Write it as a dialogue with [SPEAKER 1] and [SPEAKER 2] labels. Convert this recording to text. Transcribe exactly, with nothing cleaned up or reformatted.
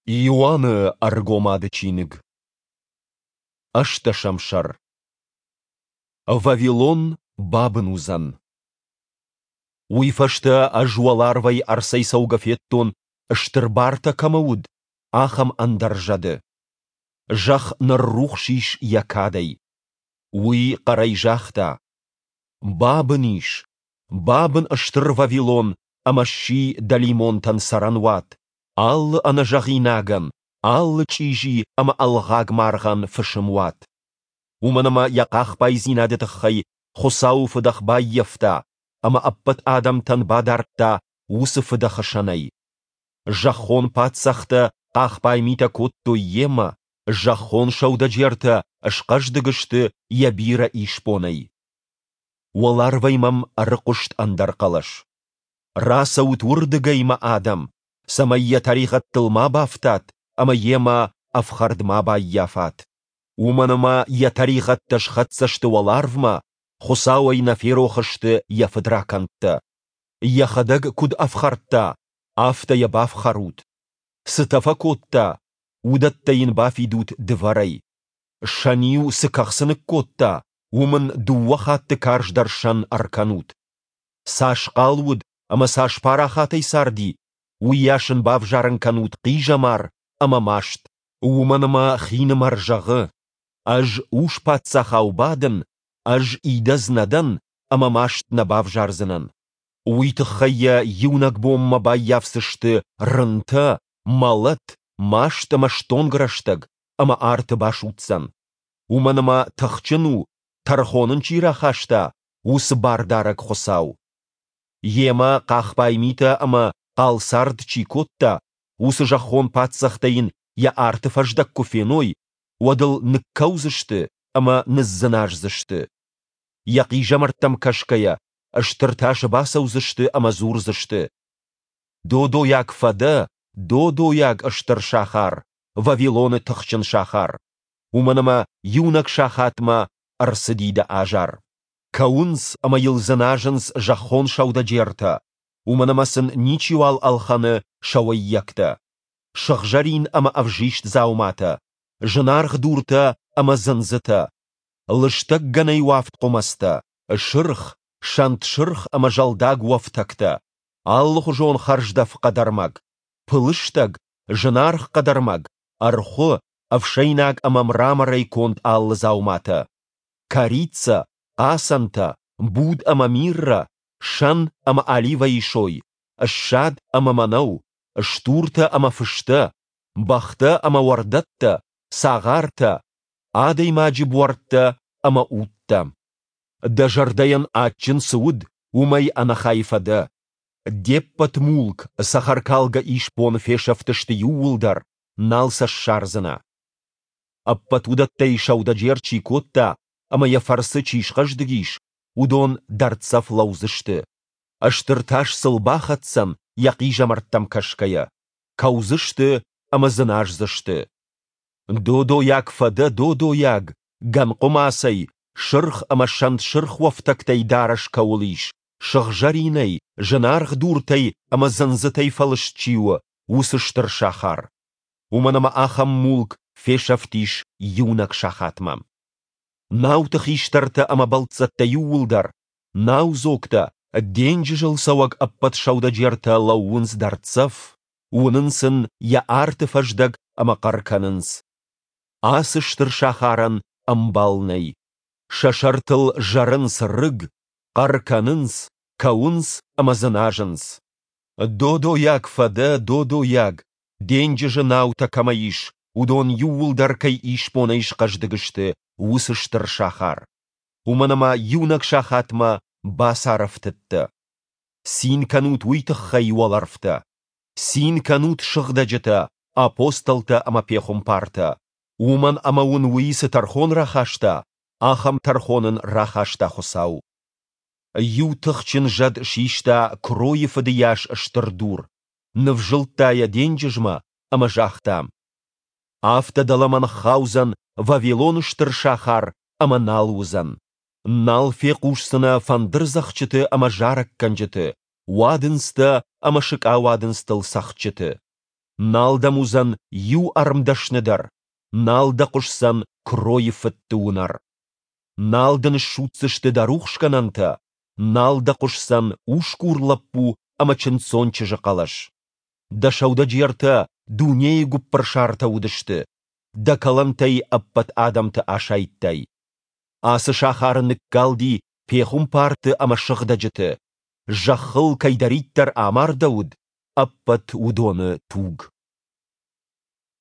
[SPEAKER 1] Иоанны Ӕргомады чиныг. Ӕстдӕсӕм сӕр. Вавилон бабын уыдзӕн. Уый фӕстӕ ӕз уӕларвӕй ӕрцӕйцӕугӕ федтон, стыр бартӕ кӕмӕ уыд, ахӕм ӕндӕр зӕды. Зӕхх ныррухс ис йӕ кадӕй. Уый хъӕрӕй загъта: Бабын ис, бабын стыр Вавилон ӕмӕ сси дӕлимонтӕн цӕрӕнуат, алы ӕнӕзӕгъинагӕн, алы чъизи ӕмӕ ӕлгъаг маргъӕн фысымуат. Уымӕн ӕмӕ йӕ хъахбайдзинады тыххӕй Хуыцауы фыдӕх баййӕфта ӕмӕ ӕппӕт адӕмтӕн бадардта уыцы фыдӕхы сӕнӕй. Зӕххон паддзӕхтӕ хъахбай митӕ кодтой йемӕ, зӕххон сӕудӕджертӕ схъӕздыг сты йӕ бирӕ исбонӕй. Уӕларвӕй мӕм ӕрыхъуыст ӕндӕр хъӕлӕс. Рацӕут уырдыгӕй, мӕ адӕм, цӕмӕй йӕ тӕригъӕдтыл ма бафтат ӕмӕ йемӕ ӕфхӕрд ма баййафат. Уымӕн ӕмӕ йӕ тӕригъӕдтӕ схӕццӕ сты уӕларвмӕ, Хуыцауӕй нӕ ферох сты йӕ фыдракӕндтӕ. Йӕхӕдӕг куыд ӕфхӕрдта, афтӕ йӕ бафхӕрут. Цытӕ фӕкодта, уыдӕттӕ йын бафидут дывӕрӕй. Сӕн-иу цы кӕхцы ныккодта, уым ын дыууӕ хатты карздӕр сӕн ӕркӕнут. Цас хъал уыд ӕмӕ цас парахатӕй царди, уыйас ын бавзарын кӕнут хъизӕмар ӕмӕ маст. Уымӕн ӕмӕ хинымӕр зӕгъы: Ӕз ус-паддзахау бадын, ӕз идӕдз нӕ дӕн ӕмӕ маст нӕ бавзардзынӕн. Уый тыххӕй йӕ иунӕг бонмӕ баййафдзысты рынтӕ, мӕлӕт, маст ӕмӕ стонг рӕстӕг, ӕмӕ арты басудздзӕн. Уымӕн ӕмӕ тыхджын у, тӕрхон ын чи рахаста, уыцы Бардарӕг Хуыцау. Йемӕ хъахбай митӕ ӕмӕ хъал цард чи кодта, уыцы зӕххон паддзӕхтӕ йын йӕ арты фӕздӕг куы феной, уӕд ыл ныккӕудзысты ӕмӕ ныдздзыназдзысты. Йӕ хъизӕмӕрттӕм кӕсгӕйӕ, стыр тасы бацӕудзысты ӕмӕ дзурдзысты: Додойаг фӕдӕ, додойаг стыр сахар, Вавилоны тыхджын сахар, уымӕн ӕмӕ иунӕг сахатмӕ ӕрцыди дӕ азар. Кӕуынц ӕмӕ йыл дзыназынц зӕххон сӕудӕджертӕ, уымӕн ӕмӕ сын ничиуал ӕлхӕны сӕ уӕййӕгтӕ. Сыгъзӕрин ӕмӕ ӕвзист дзауматӕ, зынаргъ дуртӕ ӕмӕ дзындзытӕ, лыстӕг гӕнӕй уӕфт хъуымӕцтӕ, сырх, сӕнт сырх ӕмӕ зӕлдаг уӕфтӕгтӕ, алыхуызон хӕрздӕф хъӕдӕрмӕг, пылыстӕг, зынаргъ хъӕдӕрмӕг, ӕрхуы, ӕфсӕйнаг ӕмӕ мраморӕй конд алы дзауматӕ, корицӕ, хъацӕнтӕ, буд ӕмӕ миррӕ, сӕн ӕмӕ оливӕйы сой, ссад ӕмӕ мӕнӕу, стуртӕ ӕмӕ фыстӕ, бӕхтӕ ӕмӕ уӕрдӕттӕ, цагъартӕ, адӕймаджы буӕрттӕ ӕмӕ удтӕ. Дӕ зӕрдӕйӕн адджын цы уыд, уымӕй ӕнӕхай фӕдӕ. Де ппӕт мулк, цӕхӕркалгӕ исбон фесӕфтысты иууылдӕр, нал сӕ ссардзынӕ. Ӕппӕт уыдӕттӕй сӕудӕджер чи кодта ӕмӕ йӕ фӕрцы чи схъӕздыг ис, уыдон дӕрддзӕф лӕудзысты. Стыр тас сыл бахӕцдзӕн йӕ хъизӕмӕрттӕм кӕсгӕйӕ. Кӕудзысты ӕмӕ дзыназдзысты. Додойаг фӕдӕ, додойаг, гӕнхъуымацӕй, сырх ӕмӕ сӕнт сырх уӕфтӕгтӕй дарӕс кӕуыл ис, сыгъзӕринӕй, зынаргъ дуртӕй ӕмӕ дзындзытӕй фӕлыст чи у, уыцы стыр сахар. Уымӕн ӕмӕ ахӕм мулк фесӕфтис иунӕг сахатмӕ. Науты хистӕртӕ ӕмӕ бӕлццӕттӕ иууылдӕр, наудзогтӕ, денджызыл цӕуӕг ӕппӕт сӕудӕджертӕ лӕууынц дӕрддзӕф, уынынц ын йӕ арты фӕздӕг ӕмӕ хъӕр кӕнынц: Ацы стыр сахарӕн ӕмбал нӕй. Сӕ сӕртыл зӕрынц рыг, хъӕр кӕнынц, кӕуынц ӕмӕ дзыназынц. Додойаг фӕдӕ, додойаг, денджызы наутӕ кӕмӕ ис, уыдон иууылдӕр кӕй исбонӕй схъӕздыг сты, уыцы стыр сахар. Уымӕн ӕмӕ иунӕг сахатмӕ бацарӕфтыд дӕ. Цин кӕнут уый тыххӕй, уӕлӕрвтӕ! Цин кӕнут, сыгъдӕджытӕ, апостолтӕ ӕмӕ пехуымпартӕ! Уымӕн ӕмӕ уын уый цы тӕрхон рахаста, ахӕм тӕрхон ын рахаста Хуыцау. Иу тыхджын зӕд систа куыройы фыды йас стыр дур, нывзылдта йӕ денджызмӕ ӕмӕ загъта: Афтӕ дӕлӕмӕ ныххаудзӕн Вавилоны стыр сахар ӕмӕ нал уыдзӕн. Нал фехъусдзынӕ фӕндырдзӕгъдджыты ӕмӕ зарӕггӕнджыты, уадындзтӕ ӕмӕ сыкъауадындзтыл цӕгъдджыты. Нал дӕм уыдзӕн иу ӕрмдӕсны дӕр, нал дӕ хъуысдзӕн куыройы фыдты уынӕр. Нал дын ссудздзысты дӕ рухсгӕнӕнтӕ, нал дӕ хъуысдзӕн усгур лӕппу ӕмӕ чындздзон чызджы хъӕлӕс. Дӕ сӕудӕджертӕ дунейы гуыппырсартӕ уыдысты, дӕ кӕлӕнтӕй ӕппӕт адӕмты асайдтай. Ацы сахары ныккалди пехуымпарты ӕмӕ сыгъдӕджыты, зӕххыл кӕйдӕриддӕр амардӕуыд, ӕппӕт уыдоны туг.